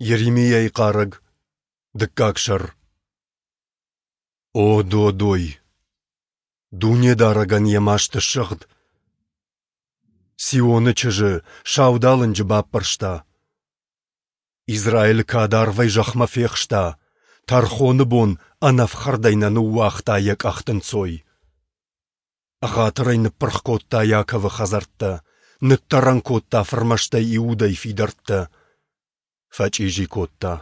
Йеремиайы хъарӕг, дыккаг сӕр. О, додой! Дунедарӕгӕн йӕ маст ссыгъд. Сионы чызджы саудалынджы баппӕрста. Израилы кад арвӕй зӕхмӕ фехста, тӕрхоны бон ӕнӕфхӕрдӕй нӕ ныууагъта йӕ къӕхты нцой. Ӕгъатырӕй ныппырх кодта Иаковы хӕдзӕрттӕ, ныддӕрӕн кодта фырмӕстӕй Иудӕйы фидӕрттӕ. Фӕчъизи кодта,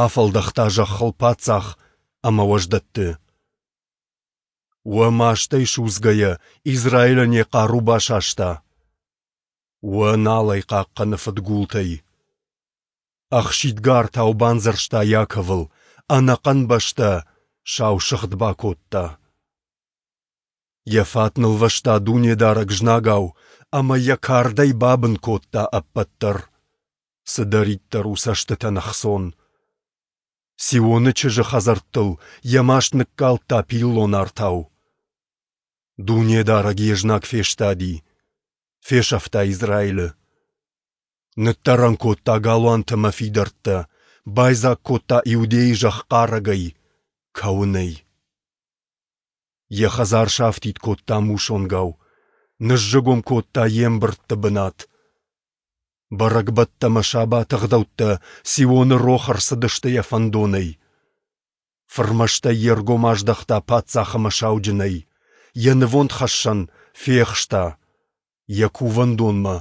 афӕлдӕхта зӕххыл паддзах ӕмӕ уӕздӕтты. Уӕ мастӕй судзгӕйӕ Израилӕн йӕ хъару басаста. Уӕ нал ӕй хъахъхъӕны фыдгултӕй. Ӕхсидгӕ артау бандзӕрста Иаковыл, ӕнӕхъӕн бӕстӕ сау сыгъд бакодта. Йӕ фат нылвӕста Дунедарӕг знагау ӕмӕ йӕ кардӕй бабын кодта ӕппӕт дӕр, цыдӕриддӕр у цӕстытӕн ӕхцон. Сионы чызджы хӕдзӕрттыл йӕ маст ныккалдта пиллон артау. Дунедарӕг йе знаг фестади, фесӕфта Израилы. Ныддӕрӕн кодта галуантӕ мӕ фидӕрттӕ, байдзаг кодта Иудейы зӕхх хъарӕгӕй, кӕуынӕй. Йӕ хӕдзар сафтид кодта мусонгау, ныззыгуым кодта йе мбырдты бынат. Бӕрӕгбӕттӕ мӕ сабаты ӕгъдӕуттӕ Сионы рох ӕрцыдысты йӕ фӕндонӕй. Фырмӕстӕй йе ргом аздӕхта паддзах ӕмӕ сауджынӕй, йӕ нывондхӕссӕн фехста, йӕ кувӕндонмӕ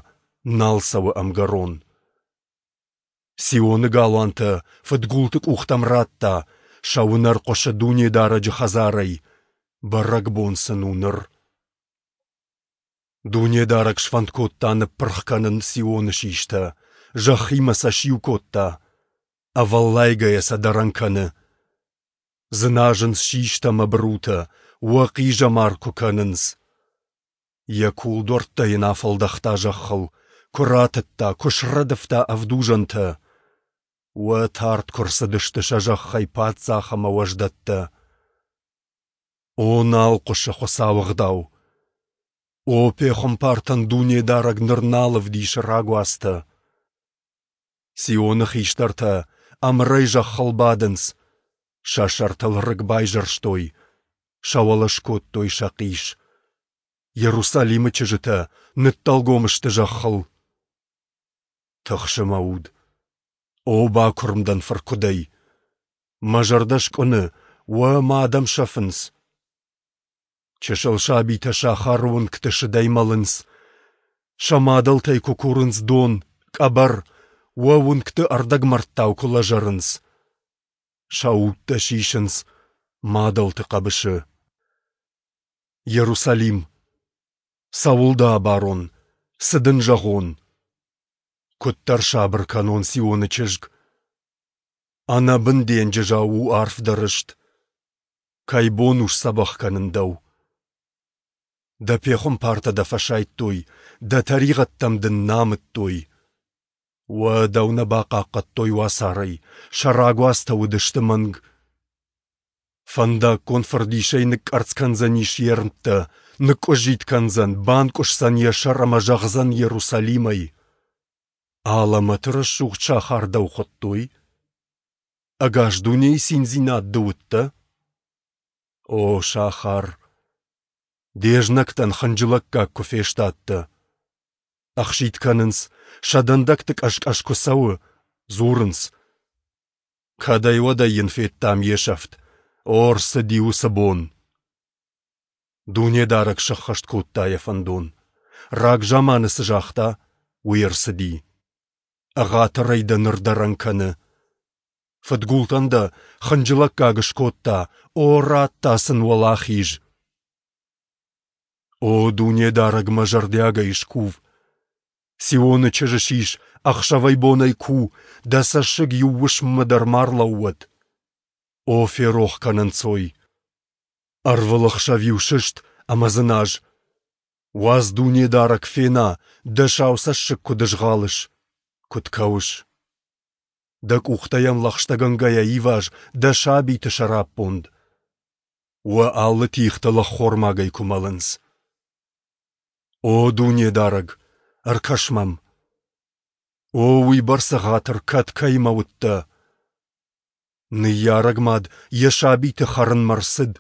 нал цӕуы ӕмгӕрон. Сионы галуантӕ фыдгулты къухтӕм радта, сӕ уынӕр хъуысы Дунедарӕджы хӕдзарӕй, бӕрӕгбон сын у ныр. Дунедарӕг сфӕнд кодта ныппырх кӕнын Сионы систӕ, зӕххимӕ сӕ сиу кодта, ӕвӕллайгӕйӕ сӕ дӕрӕн кӕны. Дзыназынц систӕ мӕ бырутӕ, уӕ хъизӕмар куы кӕнынц. Йӕ кулдуӕрттӕ йын афӕлдӕхта зӕххыл, куы ратыдта, куы срӕдывта ӕвдузӕнтӕ. Уӕ тард куы рцыдысты сӕ зӕххӕй паддзах ӕмӕ уӕздӕттӕ. О, нал хъуысы Хуыцауы ӕгъдау! О, пехуымпартӕн Дунедарӕг ныр нал ӕвдисы рагуацтӕ! Сионы хистӕртӕ ӕмырӕй зӕххыл бадынц, сӕ сӕртыл рыг байзӕрстой, сӕ уӕлӕ скодтой сӕ хъис. Иерусалимы чызджытӕ ныддӕлгом сты зӕххыл. Тыхсы мӕ уд. О, бакуырм дӕн фыркуыдӕй. Мӕ зӕрдӕ скъуыны, уӕ, мӕ адӕм сӕфынц. Чысыл сабитӕ сахары уынгты сыдӕй мӕлынц. Сӕ мадӕлтӕй куы курынц дон, къӕбӕр, уӕ уынгты ӕрдӕгмӕрдтау куы лӕзӕрынц. Сӕ удтӕ сисынц мадӕлты хъӕбысы. Иерусалим, цӕуыл дӕ абарон, цы дын зӕгъон? Куыддӕр сабыр кӕнон Сионы чызг. Ӕнӕбын денджызау у арф дӕ рыст. Кӕй бон у сдзӕбӕх кӕнын дӕу? Дӕ пехуымпартӕ дӕ фӕсайдтой, дӕ тӕригъӕдтӕм дын нӕ амыдтой. Уӕ, дӕу нӕ бахъахъхъӕдтой уацарӕй, сӕ рагуацтӕ уыдысты мӕнг. Фӕндаггон фырдисӕй ныкъкъӕрцц кӕндзӕнис йе рмттӕ, ныкъкъуыззитт кӕндзӕн, банкъуысдзӕн йӕ сӕр ӕмӕ зӕгъдзӕн Иерусалимӕй: Алӕмӕты рӕсугъд сахар дӕу хуыдтой? Ӕгас дунейы циндзинад ды уыдтӕ? О, сахар, де знӕгтӕн хынджылӕггаг куы фестадтӕ! Ӕхситт кӕнынц, сӕ дӕндӕгты къӕс-къӕс куы цӕуы, дзурынц. Кӕдӕй-уӕдӕй йын федтам йе сӕфт, о, ӕрцыди уыцы бон! Дунедарӕг сӕххӕст кодта йӕ фӕндон. Рагзаманы цы загъта, уый ӕрцыди. Ӕгъатырӕй дӕ ныр дӕрӕн кӕны. Фыдгултӕн дӕ хынджылӕггаг скодта, о, радта сын уӕлахиз! О, Дунедарӕгмӕ зӕрдиагӕй скув! Сионы чызджы сис, ӕхсӕвӕй-бонӕй ку, дӕ цӕссыг иу уысммӕ дӕр ма рлӕууӕд. О, ферох кӕн ӕнцой! Ӕрвылӕхсӕв-иу сыст ӕмӕ дзыназ. Уадз Дунедарӕг фена, дӕ сау цӕссыг куыд ызгъалыс, куыд кӕуыс. Дӕ къухтӕ йӕм лӕгъстӕгӕнгӕйӕ иваз дӕ сабиты сӕраппонд. Уӕ алы тигътыл ӕххормагӕй куы мӕлынц. О Дунедарӕг, ӕркӕс мӕм! О, уыйбӕрц ӕгъатыр кӕд кӕимӕ уыдтӕ? Ныййарӕг мад йӕ сабиты хӕрынмӕ рцыд.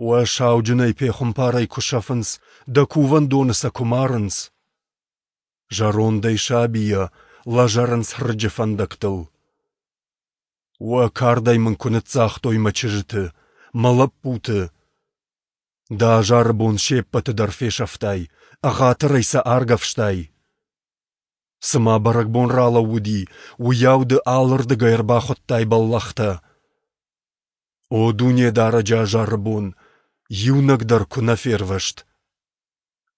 Уӕ сауджынӕй пехуымпарӕй куы сӕфынц, дӕ кувӕндоны сӕ куы марынц. Зӕрондӕй сабийӕ лӕзӕрынц рыджы фӕндӕгтыл. Уӕ кардӕй мын куы ныццагътой мӕ чызджыты, мӕ лӕппуты. Дӕ азары бон се ппӕты дӕр фесӕфтай, ӕгъатырӕй сӕ аргӕвстай. Цыма бӕрӕгбон ралӕууыди, уыйау ды алырдыгӕй ӕрбахуыдтай бӕллӕхтӕ. О Дунедарӕджы азары бон, иунӕг дӕр куы нӕ фервӕзт!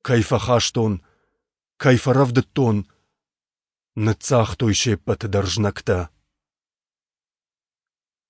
Кӕй фӕхастон, кӕй фӕрӕвдыдтон, ныццагътой се ппӕты дӕр знӕгтӕ.